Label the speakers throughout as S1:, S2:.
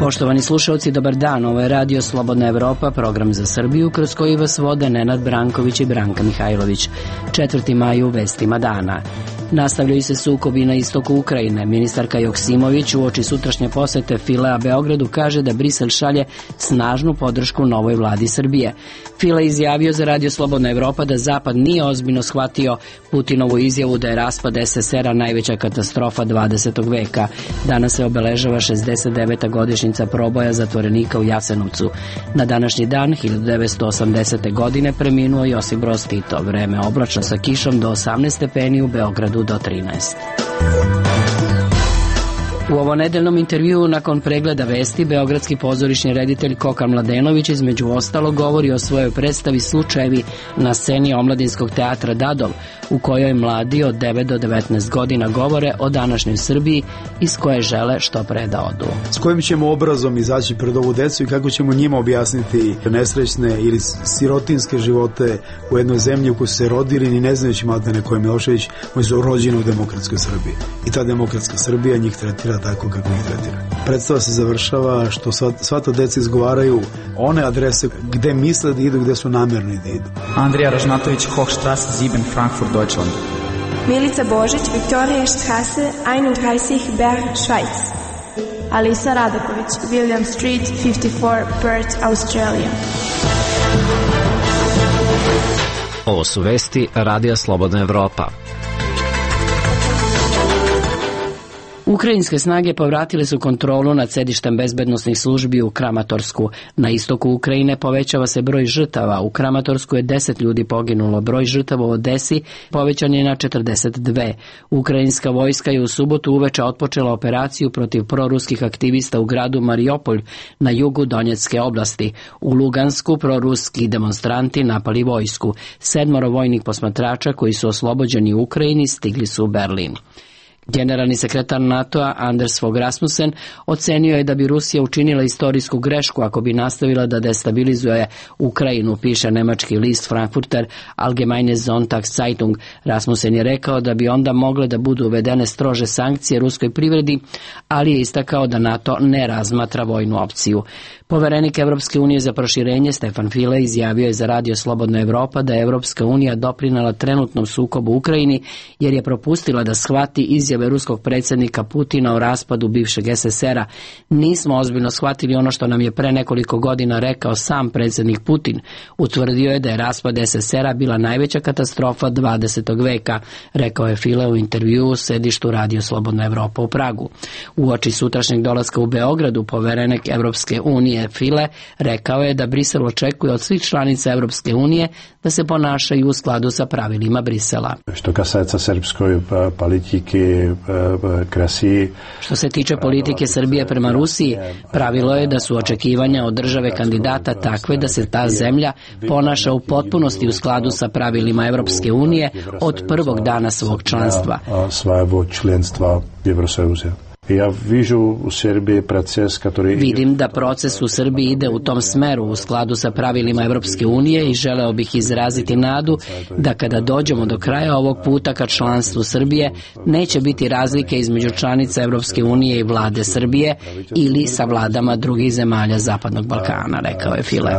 S1: Poštovani slušalci, dobar dan. Ovo je Radio Slobodna Evropa, program za Srbiju, kroz koji vas vode Nenad Branković i Branka Mihajlović. 4. maj u vestima dana. Nastavljaju se sukobi na istoku Ukrajine. Ministarka Joksimović uoči sutrašnje posete Filea Beogradu kaže da Brisel šalje snažnu podršku novoj vladi Srbije. File izjavio za Radio Slobodna Evropa da Zapad nije ozbiljno shvatio Putinovu izjavu da je raspad SSR-a najveća katastrofa 20. veka. Danas se obeležava 69. godišnjica proboja zatvorenika u Jasenovcu. Na današnji dan, 1980. godine, preminuo Josip Broz Tito. Vreme oblačno sa kišom do 18 stepeni, u Beogradu do 13. U ovonedeljnom intervjuu nakon pregleda vesti, beogradski pozorišni reditelj Koka Mladenović između ostalog govori o svojoj predstavi Slučajevi na sceni Omladinskog teatra Dadov, u kojoj mladi od 9 do 19 godina govore o današnjoj Srbiji iz koje žele što pre da odu.
S2: S kojim ćemo obrazom izaći pred ovu decu i kako ćemo njima objasniti nesrećne ili sirotinske živote u jednoj zemlji u kojoj su se rodili ni ne znajući maltene ko je Milošević, koji su rođeni u demokratskoj Srbiji. I ta demokratska Srbija njih tretira tako kako ih tretira. Predstava se završava što sva ta deca izgovaraju one adrese gde misle da idu, gde su namerni da idu.
S3: Andrija Ražnatović, Hochstrasse 7, Frankfurt, Deutschland.
S4: Milica Božić, Viktorijastrasse 31, Bern, Schweiz. Alisa Radaković, William Street 54, Perth, Australia.
S5: Ovo su vesti Radija Slobodna Evropa.
S1: Ukrajinske snage povratile su kontrolu nad sedištem bezbednosnih službi u Kramatorsku. Na istoku Ukrajine povećava se broj žrtava. U Kramatorsku je 10 ljudi poginulo. Broj žrtava u Odesi povećan je na 42. Ukrajinska vojska je u subotu uveče otpočela operaciju protiv proruskih aktivista u gradu Mariupolj na jugu Donjecke oblasti. U Lugansku proruski demonstranti napali vojsku. 7 vojnih posmatrača koji su oslobođeni u Ukrajini stigli su u Berlin. Generalni sekretar NATO-a Anders Fogh Rasmussen ocenio je da bi Rusija učinila istorijsku grešku ako bi nastavila da destabilizuje Ukrajinu, piše nemački list Frankfurter Allgemeine Sonntagszeitung. Rasmussen je rekao da bi onda mogle da budu uvedene strože sankcije ruskoj privredi, ali je istakao da NATO ne razmatra vojnu opciju. Poverenik Evropske unije za proširenje Stefan File izjavio je za Radio Slobodna Evropa da je Evropska unija doprinela trenutnom sukobu u Ukrajini jer je propustila da shvati izjave ruskog predsjednika Putina o raspadu bivšeg SSR-a. Nismo ozbiljno shvatili ono što nam je pre nekoliko godina rekao sam predsjednik Putin. Utvrdio je da je raspad SSR-a bila najveća katastrofa 20. veka, rekao je File u intervjuu u sedištu Radio Slobodna Evropa u Pragu. Uoči sutrašnjeg dolaska u Beogradu, poverenik Evropske unije File rekao je da Brisel očekuje od svih članica Evropske unije da se ponašaju u skladu sa pravilima Brisela. Što se tiče politike Srbije prema Rusiji, pravilo je da su očekivanja od države kandidata takve da se ta zemlja ponaša u potpunosti u skladu sa pravilima Evropske unije od prvog dana svog članstva. Vidim da proces u Srbiji ide u tom smeru u skladu sa pravilima Evropske unije i želeo bih izraziti nadu da kada dođemo do kraja ovog puta ka članstvu Srbije neće biti razlike između članica Evropske unije i vlade Srbije ili sa vladama drugih zemalja Zapadnog Balkana, rekao je File.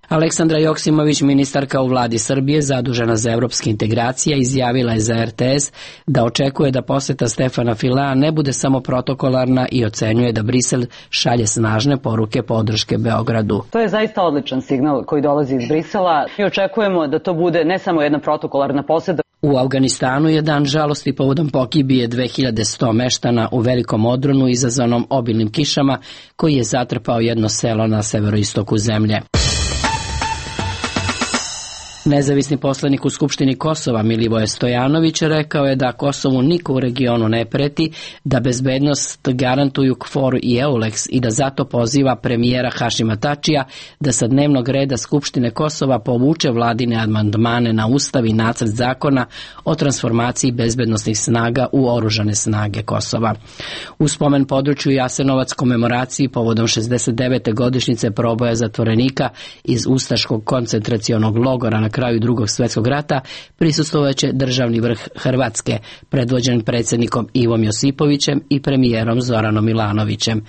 S1: Aleksandra Joksimović, ministarka u vladi Srbije zadužena za evropske integracije, izjavila je za RTS da očekuje da poseta Stefana Filea ne bude samo protokolarna i ocenjuje da Brisel šalje snažne poruke podrške Beogradu.
S6: To je zaista odličan signal koji dolazi iz Brisela. Mi očekujemo da to bude ne samo jedna protokolarna poseta.
S1: U Afganistanu je dan žalosti povodom pogibije 2100 meštana u velikom odronu izazvanom obilnim kišama koji je zatrpao jedno selo na severoistoku zemlje. Nezavisni poslanik u Skupštini Kosova Milivoje Stojanović rekao je da Kosovu niko u regionu ne preti, da bezbednost garantuju KFOR i EULEX i da zato poziva premijera Hašima Tačija da sa dnevnog reda Skupštine Kosova povuče vladine amandmane na Ustav i nacrt zakona o transformaciji bezbednosnih snaga u oružane snage Kosova. U spomen području Jasenovac komemoraciji povodom 69. godišnjice proboja zatvorenika iz ustaškog koncentracionog logora na kraju Drugog svjetskog rata prisustvovaće državni vrh Hrvatske, predvođen predsjednikom Ivom Josipovićem i premijerom Zoranom Milanovićem.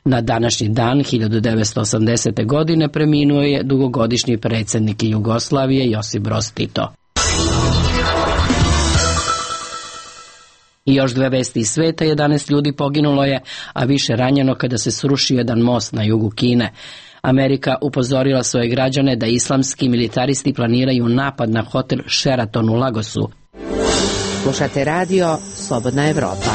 S1: Na današnji dan 1980. godine preminuo je dugogodišnji predsjednik Jugoslavije Josip Broz Tito. I još 2 vesti iz sveta, 11 ljudi poginulo je, a više ranjeno kada se srušio jedan most na jugu Kine. Amerika upozorila svoje građane da islamski militaristi planiraju napad na hotel Sheraton u Lagosu.
S7: Slušate radio Slobodna Evropa.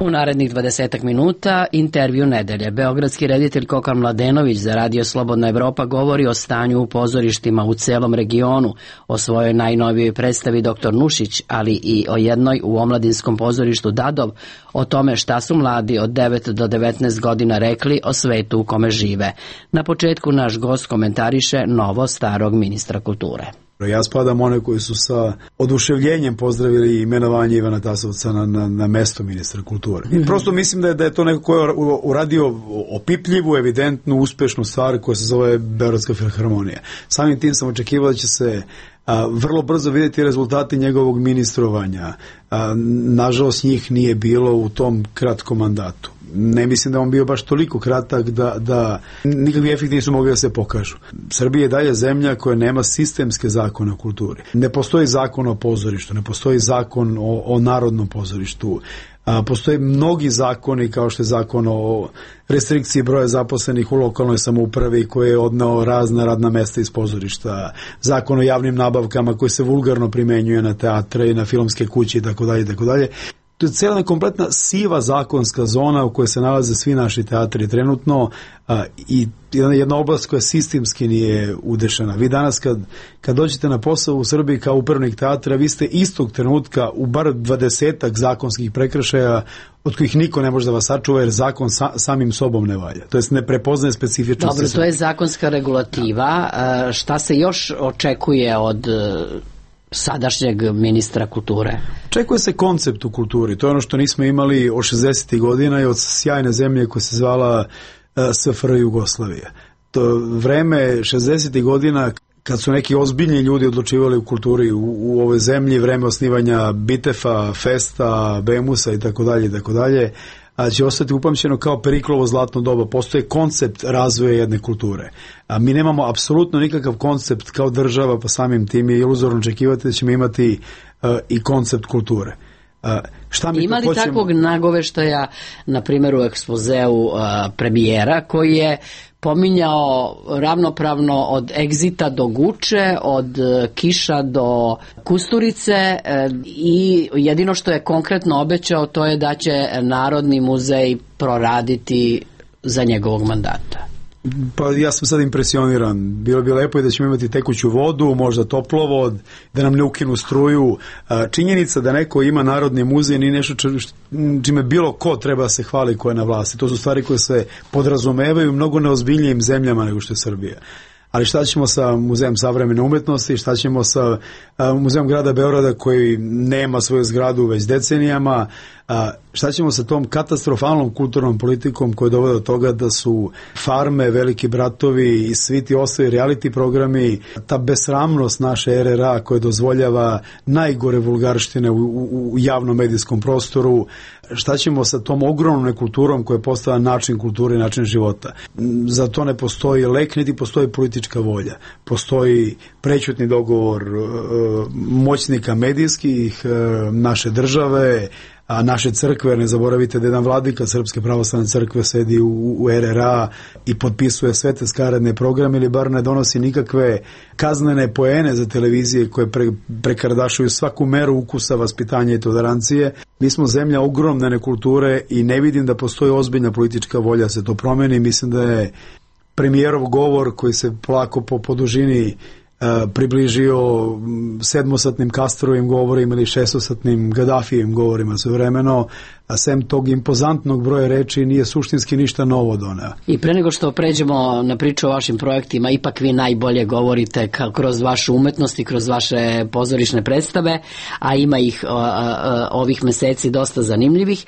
S1: U narednih 20 minuta intervju nedelje. Beogradski reditelj Kokan Mladenović za radio Slobodna Evropa govori o stanju u pozorištima u celom regionu, o svojoj najnovijoj predstavi Dr. Nušić, ali i o jednoj u omladinskom pozorištu Dadov, o tome šta su mladi od 9 do 19 godina rekli o svetu u kome žive. Na početku naš gost komentariše novo starog ministra kulture.
S2: Ja spadam one koji su sa oduševljenjem pozdravili imenovanje Ivana Tasovca na mesto ministra kulture. I prosto mislim da je to neko ko je uradio opipljivu, evidentnu, uspešnu stvar koja se zove Beogradska filharmonija. Samim tim sam očekivao da će se vrlo brzo vidjeti rezultati njegovog ministrovanja. Nažalost njih nije bilo u tom kratkom mandatu. Ne mislim da on bio baš toliko kratak da nikakvi efekti nisu mogli da se pokažu. Srbija je dalje zemlja koja nema sistemske zakone o kulturi. Ne postoji zakon o pozorištu, ne postoji zakon o narodnom pozorištu. Postoje mnogi zakoni kao što je zakon o restrikciji broja zaposlenih u lokalnoj samoupravi koji je odneo razna radna mesta iz pozorišta, zakon o javnim nabavkama koji se vulgarno primenjuje na teatre i na filmske kuće itd. To je cijela kompletna siva zakonska zona u kojoj se nalaze svi naši teatri trenutno i jedna oblast koja sistemski nije udešena. Vi danas kad dođete na posao u Srbiji kao upravnik teatra, vi ste istog trenutka u bar 20 zakonskih prekršaja od kojih niko ne može da vas sačuva jer zakon samim sobom ne valja. To jest ne prepoznaje specifičnosti.
S1: Dobro, to je zakonska regulativa. Šta se još očekuje od sadašnjeg ministra kulture?
S2: Očekuje se koncept u kulturi. To je ono što nismo imali od 60. godina i od sjajne zemlje koja se zvala SFRJ Jugoslavija. To vreme 60. godina kad su neki ozbiljni ljudi odlučivali u kulturi u ovoj zemlji, vreme osnivanja Bitefa, Festa, Bemusa i tako dalje, a će ostati upamćeno kao Periklovo zlatno doba. Postoje koncept razvoja jedne kulture. A mi nemamo apsolutno nikakav koncept kao država, pa samim tim je iluzorno očekivati da ćemo imati i koncept kulture.
S1: Ima li takvog nagoveštaja, na primjer u ekspozeu premijera, koji je pominjao ravnopravno od Egzita do Guče, od Kiša do Kusturice i jedino što je konkretno obećao to je da će Narodni muzej proraditi za njegovog mandata?
S2: Pa ja sam sad impresioniran. Bilo bi lepo i da ćemo imati tekuću vodu, možda toplovod, da nam ne ukinu struju. Činjenica da neko ima Narodni muzej nije nešto čime bilo ko treba se hvali ko je na vlasti. To su stvari koje se podrazumevaju mnogo neozbiljnijim zemljama nego što je Srbija. Ali šta ćemo sa Muzejem savremene umetnosti, šta ćemo sa Muzejom grada Beograda koji nema svoju zgradu već decenijama, šta ćemo sa tom katastrofalnom kulturnom politikom koja dovode do toga da su Farme, Veliki bratovi i svi ti ostali reality programi, ta besramnost naše RRA koja dozvoljava najgore vulgarštine u javnom medijskom prostoru, šta ćemo sa tom ogromnom nekulturom koja je postala način kulture i način života. Za to ne postoji lek, niti postoji politička volja. Postoji prećutni dogovor moćnika medijskih, naše države, a naše crkve, ne zaboravite da jedan vladika Srpske pravoslavne crkve sedi u RRA i potpisuje sve te skaradne programe ili bar ne donosi nikakve kaznene poene za televizije koje prekardašuju svaku meru ukusa, vaspitanja i tolerancije. Mi smo zemlja ogromne nekulture i ne vidim da postoji ozbiljna politička volja se to promeni. Mislim da je premijerov govor koji se polako po dužini približio 7-satnim Castrovim govorima ili 6-satnim Gaddafijevim govorima svojevremeno, a sem tog impozantnog broja reči nije suštinski ništa novo doneo.
S1: I pre nego što pređemo na priču o vašim projektima, ipak vi najbolje govorite kroz vašu umetnost i kroz vaše pozorišne predstave, a ima ih ovih meseci dosta zanimljivih.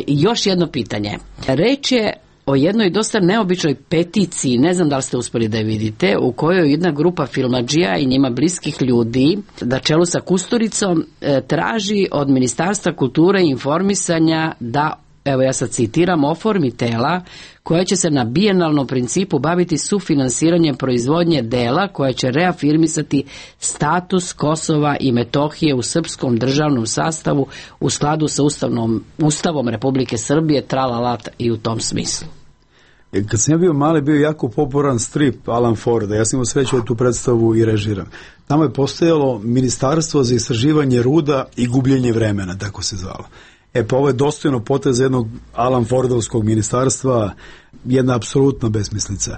S1: Još jedno pitanje. Reč je o jednoj dosta neobičnoj peticiji, ne znam da li ste uspeli da je vidite, u kojoj jedna grupa filmadžija i njima bliskih ljudi, na čelu sa Kusturicom, traži od Ministarstva kulture i informisanja da, evo ja sad citiram, oformi tela koja će se na bijenalnom principu baviti sufinansiranjem proizvodnje dela koja će reafirmisati status Kosova i Metohije u srpskom državnom sastavu u skladu sa Ustavom Republike Srbije, tralalat i u tom smislu.
S2: Kad sam ja bio mali, bio jako popularan strip Alan Forda. Ja sam imao sreću da tu predstavu i režiram. Tamo je postojalo Ministarstvo za istraživanje ruda i gubljenje vremena, tako se zvalo. Pa ovo je dostojno potez jednog Alan Fordovskog ministarstva, jedna apsolutna besmislica.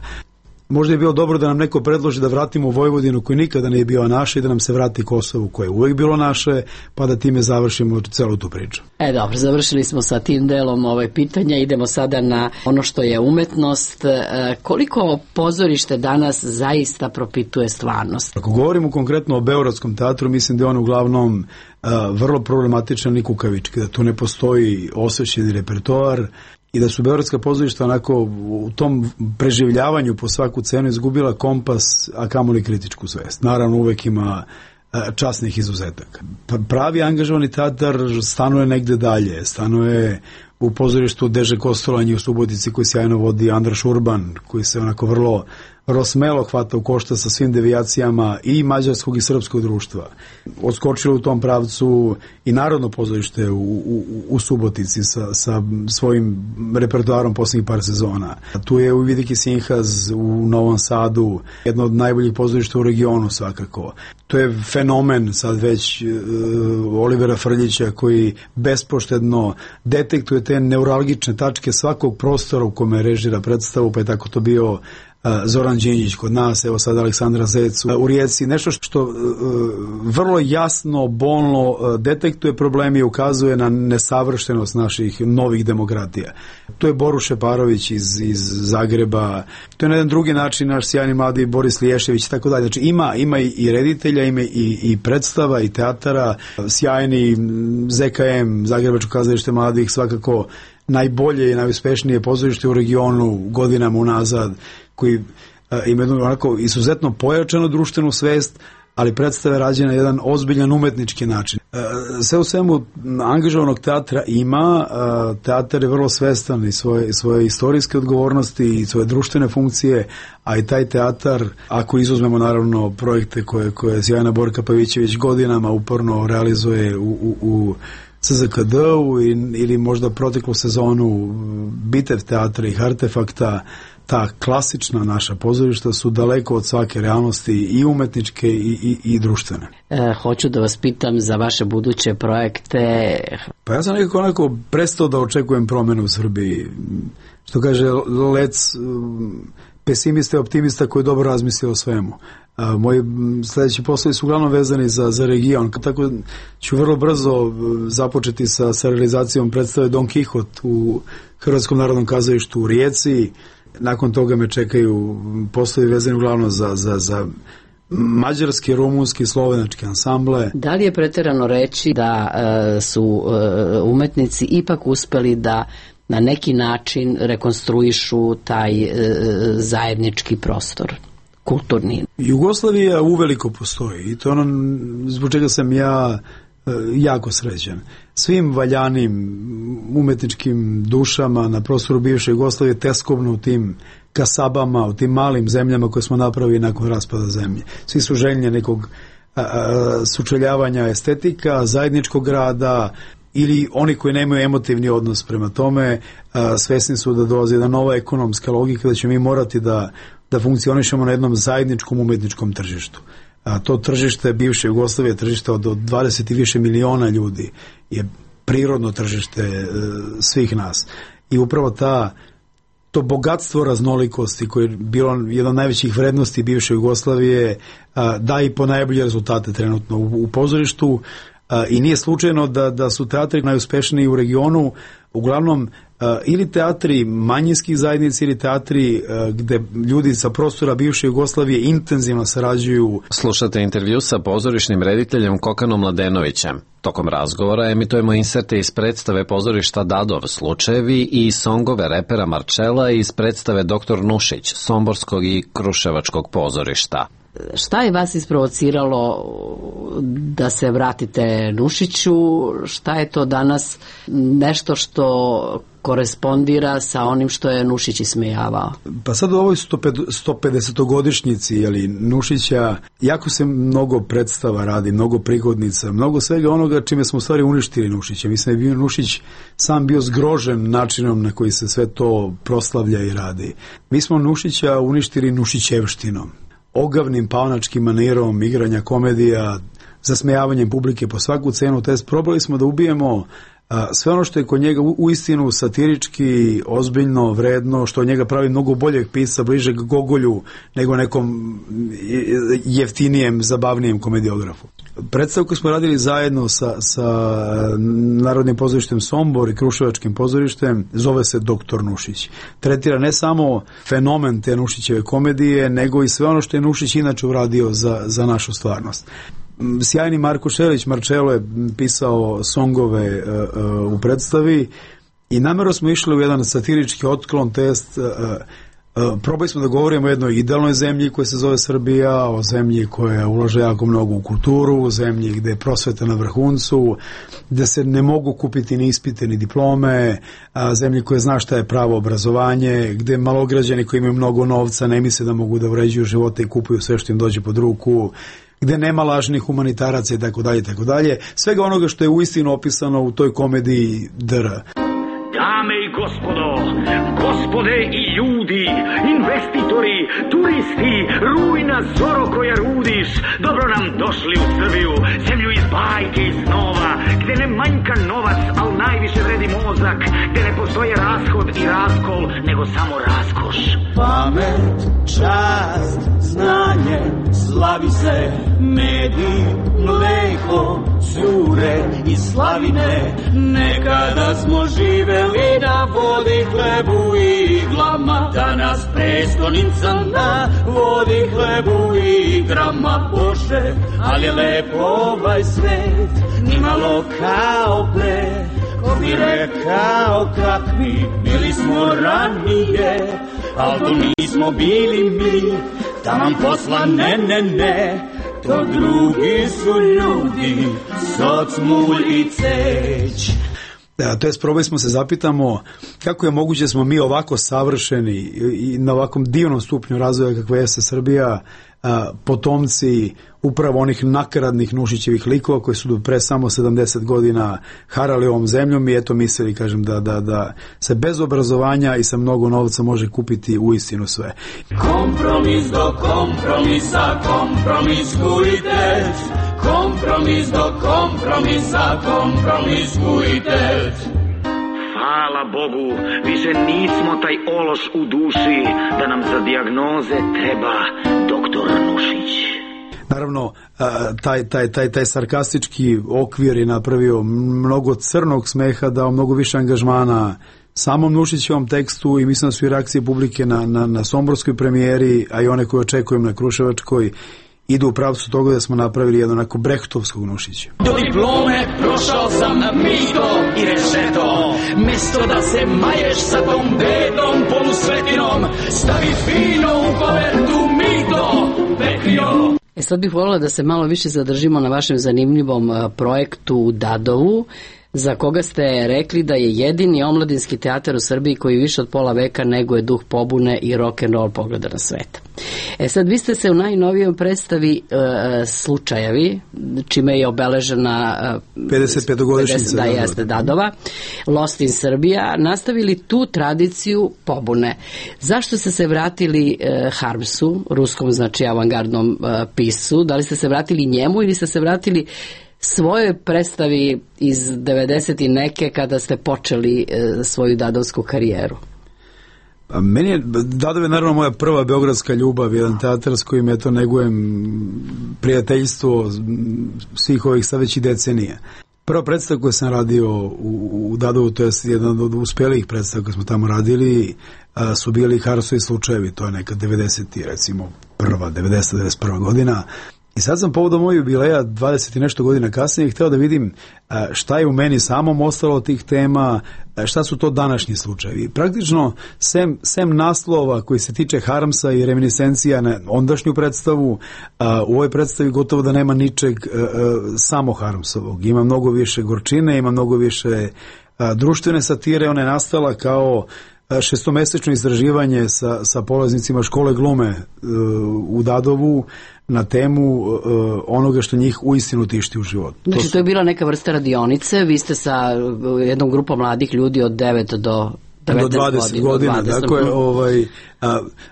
S2: Možda je bilo dobro da nam neko predloži da vratimo Vojvodinu koji nikada nije bio naša i da nam se vrati Kosovo koje je uvijek bilo naše, pa da time završimo celu tu priču.
S1: Dobro, završili smo sa tim delom pitanja, idemo sada na ono što je umetnost. Koliko pozorište danas zaista propituje stvarnost?
S2: Ako govorimo konkretno o Beogradskom teatru, mislim da je on uglavnom vrlo problematičan i kukavički, da tu ne postoji osvećeni repertoar i da su beogradska pozorišta onako u tom preživljavanju po svaku cenu izgubila kompas, a kamoli kritičku svest. Naravno uvek ima časnih izuzetaka. Pravi angažovani teatar stanuje negde dalje, stanuje u pozorištu Deže Kostolanji u Subotici koji sjajno vodi Andraš Urban, koji se onako vrlo smelo hvata u košta sa svim devijacijama i mađarskog i srpskog društva. Odskočilo u tom pravcu i Narodno pozorište u Subotici sa svojim repertoarom posljednjih par sezona. Tu je Uvidiki Sinhaz u Novom Sadu, jedno od najboljih pozorišta u regionu svakako. To je fenomen sad već Olivera Frljića koji bespoštedno detektuje te neuralgične tačke svakog prostora u kome režira predstavu, pa je tako to bio Zoran Đinđić kod nas, evo sad Aleksandra Zec u Rijeci, nešto što vrlo jasno, bolno detektuje problemi i ukazuje na nesavršenost naših novih demokratija. To je Boru Šeparović iz Zagreba, to je na jedan drugi način naš sjajni mladi Boris Liješević i tako dalje. Znači ima i reditelja, ima i predstava i teatara, sjajni ZKM, Zagrebačko kazalište mladih, svakako najbolje i najuspešnije pozorište u regionu godinama unazad, koji ima onako izuzetno pojačanu društvenu svest, ali predstave rađene na jedan ozbiljan umetnički način. Sve u svemu angažovanog teatra ima, teatar je vrlo svestan i svoje istorijske odgovornosti i svoje društvene funkcije, a i taj teatar, ako izuzmemo naravno projekte koje sjajna Borka Pavićević godinama uporno realizuje u CZKD-u ili možda proteklu sezonu Bitev teatra i Artefakta, ta klasična naša pozorišta su daleko od svake realnosti i umetničke i društvene.
S1: Hoću da vas pitam za vaše buduće projekte.
S2: Pa ja sam nekako prestao da očekujem promenu u Srbiji. Što kaže Lec, pesimista i optimista koji dobro razmisli o svemu. Moji sljedeći poslovi su uglavnom vezani za region. Tako ću vrlo brzo započeti sa realizacijom predstave Don Kihot u Hrvatskom narodnom kazalištu u Rijeci. Nakon toga me čekaju poslovi vezani uglavnom za mađarski, rumunski, slovenački ansamble.
S1: Da li je pretjerano reći da su umetnici ipak uspeli da na neki način rekonstruišu taj zajednički prostor, kulturni?
S2: Jugoslavija uveliko postoji i to ono zbog čega sam ja jako srećan. Svim valjanim umetničkim dušama na prostoru bivše Jugoslavije teskobno u tim kasabama, u tim malim zemljama koje smo napravili nakon raspada zemlje. Svi su željni nekog sučeljavanja estetika, zajedničkog rada, ili oni koji nemaju emotivni odnos prema tome, svesni su da dolazi jedna nova ekonomska logika, da ćemo mi morati da funkcionišemo na jednom zajedničkom umetničkom tržištu. To tržište bivše Jugoslavije, tržište od 20 i više miliona ljudi, je prirodno tržište svih nas. I upravo to bogatstvo raznolikosti koje je bilo jedna od najvećih vrednosti bivše Jugoslavije da i po najbolje rezultate trenutno u pozorištu, i nije slučajno da su teatri najuspešniji u regionu uglavnom ili teatri manjinskih zajednica ili teatri gde ljudi sa prostora bivše Jugoslavije intenzivno sarađuju.
S5: Slušate intervju sa pozorišnim rediteljem Kokanom Mladenovićem. Tokom razgovora emitujemo inserte iz predstave pozorišta Dadov slučajevi i songove repera Marčela iz predstave Dr. Nušić, somborskog i kruševačkog pozorišta.
S1: Šta je vas isprovociralo da se vratite Nušiću? Šta je to danas nešto što korespondira sa onim što je Nušić ismejavao?
S2: Pa sad u ovoj 150-godišnjici Nušića jako se mnogo predstava radi, mnogo prigodnica, mnogo svega onoga čime smo u stvari uništili Nušića. Mislim da je bio Nušić sam bio zgrožen načinom na koji se sve to proslavlja i radi. Mi smo Nušića uništili nušićevštinom, ogavnim paonačkim manirom igranja komedija, zasmejavanjem publike po svaku cenu, te probali smo da ubijemo sve ono što je kod njega uistinu satirički, ozbiljno, vredno, što od njega pravi mnogo boljeg pisca, bližeg Gogolju nego nekom jeftinijem, zabavnijem komediografu. Predstavu koju smo radili zajedno sa Narodnim pozorištem Sombor i Kruševačkim pozorištem zove se Dr. Nušić. Tretira ne samo fenomen te Nušićeve komedije, nego i sve ono što je Nušić inače uradio za našu stvarnost. Sjajni Marko Šelić, Marčelo je pisao songove u predstavi i namjerno smo išli u jedan satirički otklon, test. Probali smo da govorimo o jednoj idealnoj zemlji koja se zove Srbija, o zemlji koja ulaže jako mnogo u kulturu, o zemlji gde je prosveta na vrhuncu, gde se ne mogu kupiti ni ispite ni diplome, zemlji koja zna šta je pravo obrazovanje, gde malograđani koji imaju mnogo novca ne misle da mogu da uređuju živote i kupuju sve što im dođe pod ruku, gde nema lažnih humanitaraca i tako dalje, tako dalje. Svega onoga što je uistinu opisano u toj komediji DR.
S8: Dame i gospodo, gospode i ljudi, investitori, turisti, rujna zoro koja rudiš, dobro nam došli u Srbiju, zemlju iz bajke i snova, gde ne manjka novac, al najviše vredi mozak, gde ne postoje rashod i raskol, nego samo raskoš.
S9: Pamet, čast, znanje, slavi se, mediji, mleko, cure i slavine, nekada smo živeli na vodi, hlebu i iglama, danas prestonica na vodi, hlebu i igrama. Bože, ali je lepo ovaj svet, nimalo kao pre, ko bi rekao kakvi bili smo ranije, al to nismo bili mi, taman posla ne, to drugi su ljudi, soc, mulj i ceć.
S2: To jest, probali smo se zapitamo kako je moguće da smo mi ovako savršeni i na ovakvom divnom stupnju razvoja kakva jeste Srbija, potomci upravo onih nakaradnih Nušićevih likova koji su pre samo 70 godina harali ovom zemljom i eto mislili, kažem, da se bez obrazovanja i sa mnogo novca može kupiti uistinu sve.
S9: Kompromis do kompromisa, kompromiskujte. Kompromis do kompromisa, kompromiskujte.
S8: Hvala Bogu, više nismo taj ološ u duši, da nam za dijagnoze treba doktor Nušić.
S2: Naravno, taj sarkastički okvir je napravio mnogo crnog smeha, dao mnogo više angažmana samom Nušićevom tekstu i mislim da su i reakcije publike na somborskoj premijeri, a i one koje očekujem na Kruševačkoj, idu u pravcu toga da smo napravili jedno onako brehtovskog Nušića.
S9: Do diplome prošao sam na mito i rešeto, mesto da se maješ sa tom bedom polusvetinom, stavi fino u kovertu mito, pekrio.
S1: Sad bih voljela da se malo više zadržimo na vašem zanimljivom projektu u Dadovu, za koga ste rekli da je jedini omladinski teatar u Srbiji koji više od pola veka neguje duh pobune i rock'n'roll pogleda na svet. Sad vi ste se u najnovijoj predstavi Slučajevi, čime je obeležena
S2: 55-godišnjica
S1: Dadova, Lost in Serbia, nastavili tu tradiciju pobune. Zašto ste se vratili Harmsu, ruskom, znači avangardnom piscu? Da li ste se vratili njemu ili ste se vratili svojoj predstavi iz 90 i neke kada ste počeli svoju dadovsku karijeru?
S2: Meni je Dadov je naravno moja prva beogradska ljubav, jedan teatar s kojim eto negujem prijateljstvo svih ovih sad već i decenija. Prva predstava koju sam radio u Dadovu, to je jedan od uspelijih predstava koje smo tamo radili, su bili Harsovi slučajevi, to je neka 90. recimo 91. godina. I sad sam povodom mojeg jubileja 20 i nešto godina kasnije hteo da vidim šta je u meni samom ostalo od tih tema, šta su to današnji slučajevi. Praktično, sem naslova koji se tiče Harmsa i reminiscencija na ondašnju predstavu, u ovoj predstavi gotovo da nema ničeg samo Harmsovog. Ima mnogo više gorčine, ima mnogo više društvene satire, ona je nastala kao šestomesečno istraživanje sa polaznicima škole glume u Dadovu na temu onoga što njih uistinu tišti u životu.
S1: Znači, to je bila neka vrsta radionice, vi ste sa jednom grupom mladih ljudi od 9 do
S2: 20 godina. Dakle,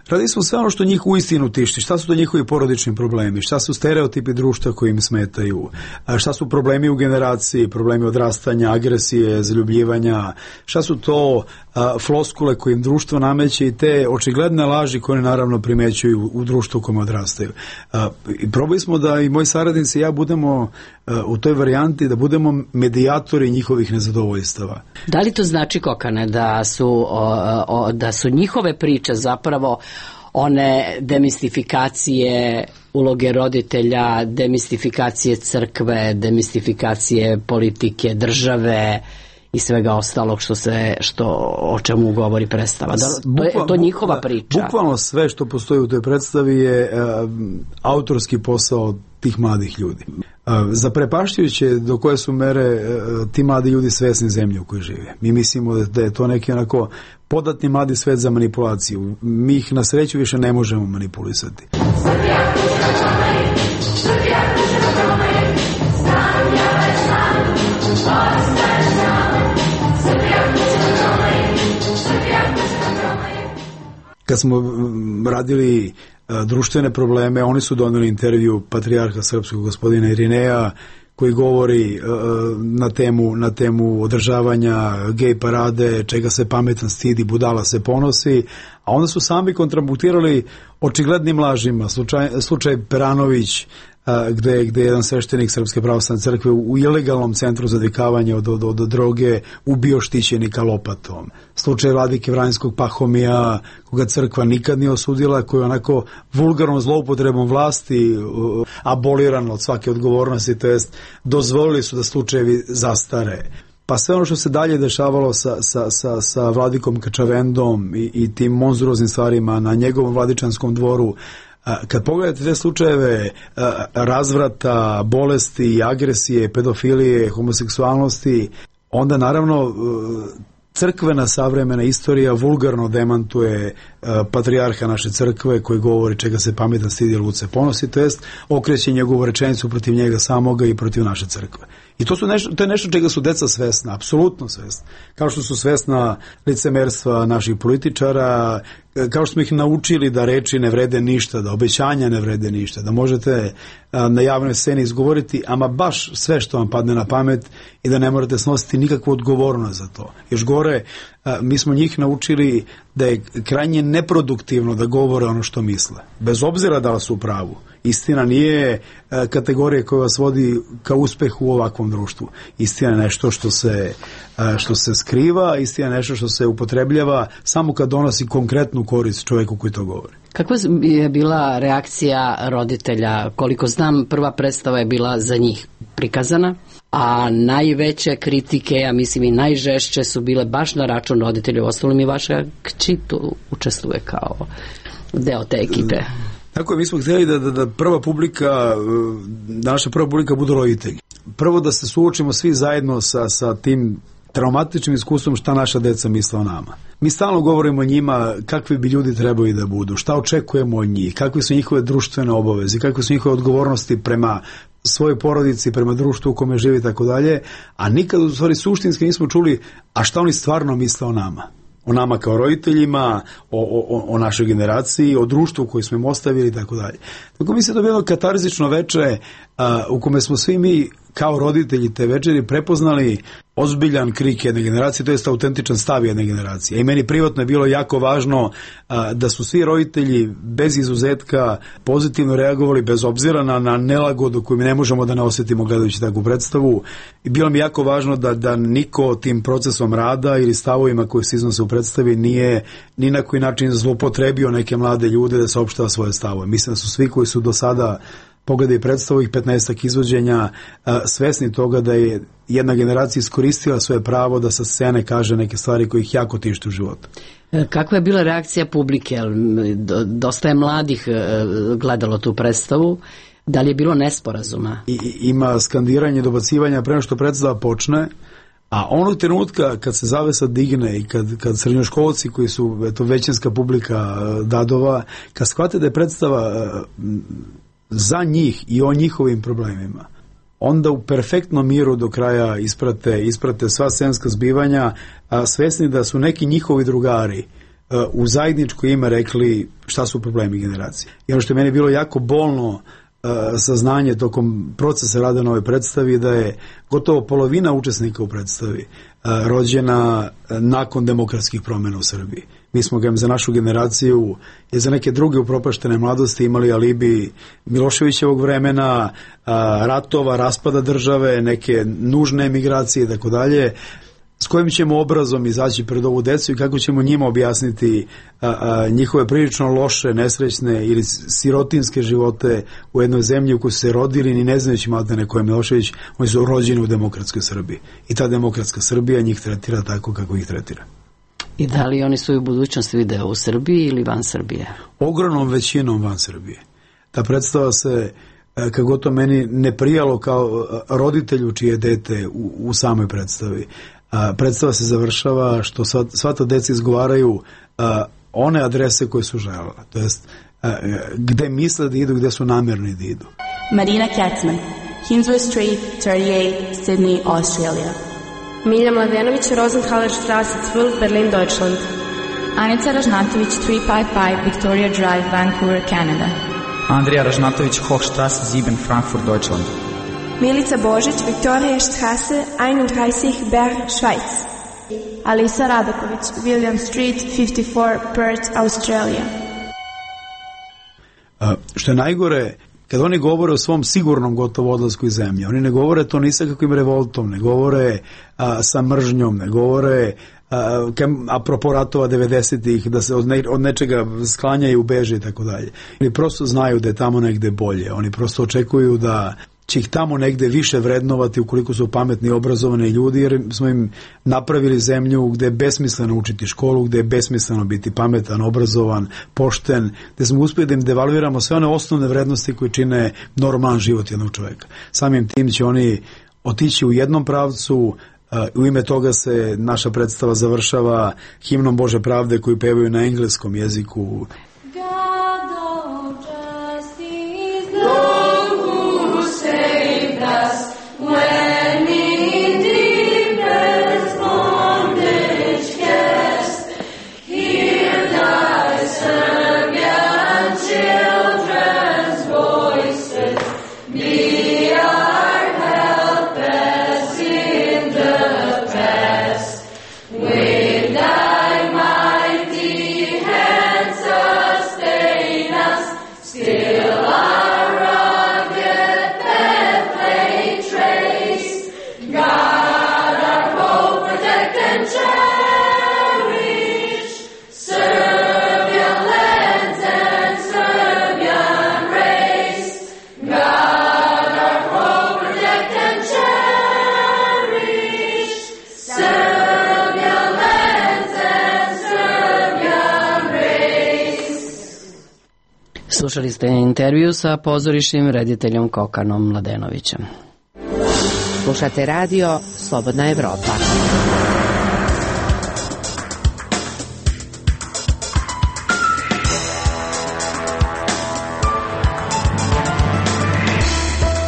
S2: radili smo sve ono što njih uistinu tišti. Šta su to njihovi porodični problemi? Šta su stereotipi društva koji im smetaju? Šta su problemi u generaciji? Problemi odrastanja, agresije, zaljubljivanja? Šta su to floskule koje im društvo nameće i te očigledne laži koje naravno primećuju u društvu u kojem odrastaju? I probali smo da i moji saradnici i ja budemo u toj varijanti, da budemo medijatori njihovih nezadovoljstava.
S1: Da li to znači, Kokane, da su njihove priče zapravo one demistifikacije uloge roditelja, demistifikacije crkve, demistifikacije politike, države i svega ostalog o čemu govori predstava? To je njihova priča.
S2: Bukvalno sve što postoji u toj predstavi je autorski posao tih mladih ljudi. Zaprepašćujuće do koje su mere ti mladi ljudi svesni zemlje u kojoj žive. Mi mislimo da je to neki onako podatni mladi svet za manipulaciju. Mi ih na sreću više ne možemo manipulisati. Kad smo radili društvene probleme, oni su doneli intervju patrijarha srpskog gospodina Irineja koji govori na temu održavanja gej parade, čega se pametan stidi, budala se ponosi, a onda su sami kontraputirali očiglednim lažima. Slučaj Peranović, gde je jedan sveštenik Srpske pravoslavne crkve u ilegalnom centru za odvikavanje od droge ubio štićenika lopatom. Slučaj vladike Vranjskog Pahomija, koga crkva nikad nije osudila, koji je onako vulgarnom zloupotrebom vlasti aboliran od svake odgovornosti, to jest dozvolili su da slučajevi zastare. Pa sve ono što se dalje dešavalo sa vladikom Kačavendom i tim monstruoznim stvarima na njegovom vladičanskom dvoru, kad pogledate te slučajeve razvrata, bolesti, agresije, pedofilije, homoseksualnosti, onda naravno crkvena savremena istorija vulgarno demantuje patrijarha naše crkve koji govori čega se pametan stidi, luce ponosi, to jest okreće njegovu rečenicu protiv njega samoga i protiv naše crkve. I to je nešto čega su deca svesna, apsolutno svesna. Kao što su svesna licemerstva naših političara, kao što smo ih naučili da reči ne vrede ništa, da obećanja ne vrede ništa, da možete na javnoj sceni izgovoriti ama baš sve što vam padne na pamet i da ne morate snositi nikakvu odgovornost za to. Još gore, mi smo njih naučili da je krajnje neproduktivno da govore ono što misle, bez obzira da li su u pravu. Istina nije kategorija koja vas vodi ka uspehu u ovakvom društvu. Istina je nešto što se skriva, istina je nešto što se upotrebljava samo kad donosi konkretnu korist čovjeku koji to govori.
S1: Kakva je bila reakcija roditelja? Koliko znam, prva predstava je bila za njih prikazana, a najveće kritike, ja mislim i najžešće, su bile baš na račun roditelja. Uostalom i vaša kći tu učestvuje kao deo te ekipe.
S2: Tako je, mi smo htjeli da naša prva publika budu roditelji. Prvo da se suočimo svi zajedno sa tim traumatičnim iskustvom šta naša deca misle o nama. Mi stalno govorimo o njima kakvi bi ljudi trebali da budu, šta očekujemo od njih, kakve su njihove društvene obaveze, kakve su njihove odgovornosti prema svojoj porodici, prema društvu u kome živi i tako dalje, a nikad u stvari suštinski nismo čuli a šta oni stvarno misle o nama. O nama kao roditeljima, o našoj generaciji, o društvu koji smo im ostavili i tako dalje. Tako mislim da je bilo katarzično veče u kome smo svi mi kao roditelji te večeri prepoznali ozbiljan krik jedne generacije, to jest autentičan stav jedne generacije. I meni privatno je bilo jako važno da su svi roditelji bez izuzetka pozitivno reagovali bez obzira na nelagodu koju mi ne možemo da ne osjetimo gledajući takvu predstavu. I bilo mi jako važno da niko tim procesom rada ili stavovima koji se iznose u predstavi nije ni na koji način zloupotrebio neke mlade ljude da saopštava svoje stavove. Mislim da su svi koji su do sada pogledaj predstavu ih 15 izvođenja svesni toga da je jedna generacija iskoristila svoje pravo da sa scene kaže neke stvari koje ih jako tište u životu.
S1: Kakva je bila reakcija publike? Dosta je mladih gledalo tu predstavu. Da li je bilo nesporazuma?
S2: Ima skandiranje, dobacivanja pre nego što predstava počne, a onog trenutka kad se zavesa digne i kad srednjoškolci koji su većinska publika Dadova, kad shvate da je predstava za njih i o njihovim problemima, onda u perfektnom miru do kraja isprate sva scenska zbivanja, svesni da su neki njihovi drugari u zajedničko ime rekli šta su problemi generacije. I ono što je meni bilo jako bolno saznanje tokom procesa rada na ovoj predstavi, da je gotovo polovina učesnika u predstavi rođena nakon demokratskih promjena u Srbiji. Mi smo za našu generaciju i za neke druge upropaštene mladosti imali alibi Miloševićevog vremena, ratova, raspada države, neke nužne emigracije i tako dalje. S kojim ćemo obrazom izaći pred ovu decu i kako ćemo njima objasniti njihove prilično loše, nesrećne ili sirotinske živote u jednoj zemlji u kojoj su se rodili ni ne znajući maltene ko je Milošević, oni su rođeni u demokratskoj Srbiji. I ta demokratska Srbija njih tretira tako kako ih tretira.
S1: I da li oni svoju budućnost vide u Srbiji ili van Srbije?
S2: Ogromnom većinom van Srbije. Ta predstava se, kako to meni ne prijalo kao roditelju čije dete u samoj predstavi. Predstava se završava što sva ta deca izgovaraju one adrese koje su želela, to jest gde misle da idu, gde su namjerni da idu.
S4: Marina Katzman, Kingsway Street, 38, Sydney, Australia.
S10: Milja Mladenović, Rosenthaler Straße 12, Berlin, Deutschland.
S11: Anica Ražnatović, 355, Victoria Drive, Vancouver, Canada.
S3: Andrija Ražnatović, Hochstraße 7, Frankfurt, Deutschland.
S4: Milica Božić, Victoria Straße 31, Bern, Schweiz. Alisa Radaković, William Street 54, Perth, Australia.
S2: Što je najgore, kad oni govore o svom sigurnom gotovo odlasku iz zemlje, oni ne govore to ni sa kakvim revoltom, ne govore sa mržnjom, ne govore apropo ratova 90-ih, da se od nečega sklanjaju, beže i tako dalje. Oni prosto znaju da je tamo negde bolje, oni prosto očekuju da će ih tamo negde više vrednovati ukoliko su pametni i obrazovani ljudi, jer smo im napravili zemlju gde je besmisleno učiti školu, gde je besmisleno biti pametan, obrazovan, pošten, gde smo uspjeli da im devalviramo sve one osnovne vrednosti koje čine normalan život jednog čoveka. Samim tim će oni otići u jednom pravcu. U ime toga se naša predstava završava himnom Bože pravde koju pevaju na engleskom jeziku.
S1: Slušali ste intervju sa pozorišnim rediteljem Kokanom Mladenovićem.
S7: Slušate radio Slobodna Evropa.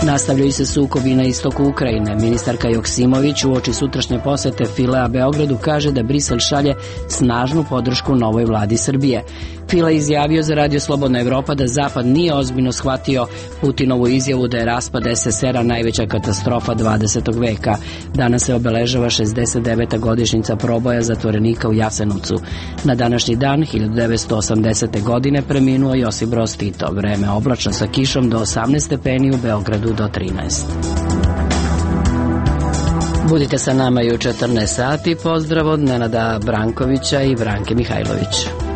S1: Nastavljaju se sukobi na istoku Ukrajine. Ministarka Joksimović uoči sutrašnje posete Filea Beogradu kaže da Brisel šalje snažnu podršku novoj vladi Srbije. Fila izjavio za Radio Slobodna Evropa da Zapad nije ozbiljno shvatio Putinovu izjavu da je raspad SSR-a najveća katastrofa 20. veka. Danas se obeležava 69. godišnjica proboja zatvorenika u Jasenovcu. Na današnji dan, 1980. godine, preminuo Josip Broz Tito. Vreme oblačno sa kišom do 18 stepeni, u Beogradu do 13. Budite sa nama i u 14 sati. Pozdrav od Nenada Brankovića i Branke Mihajlović.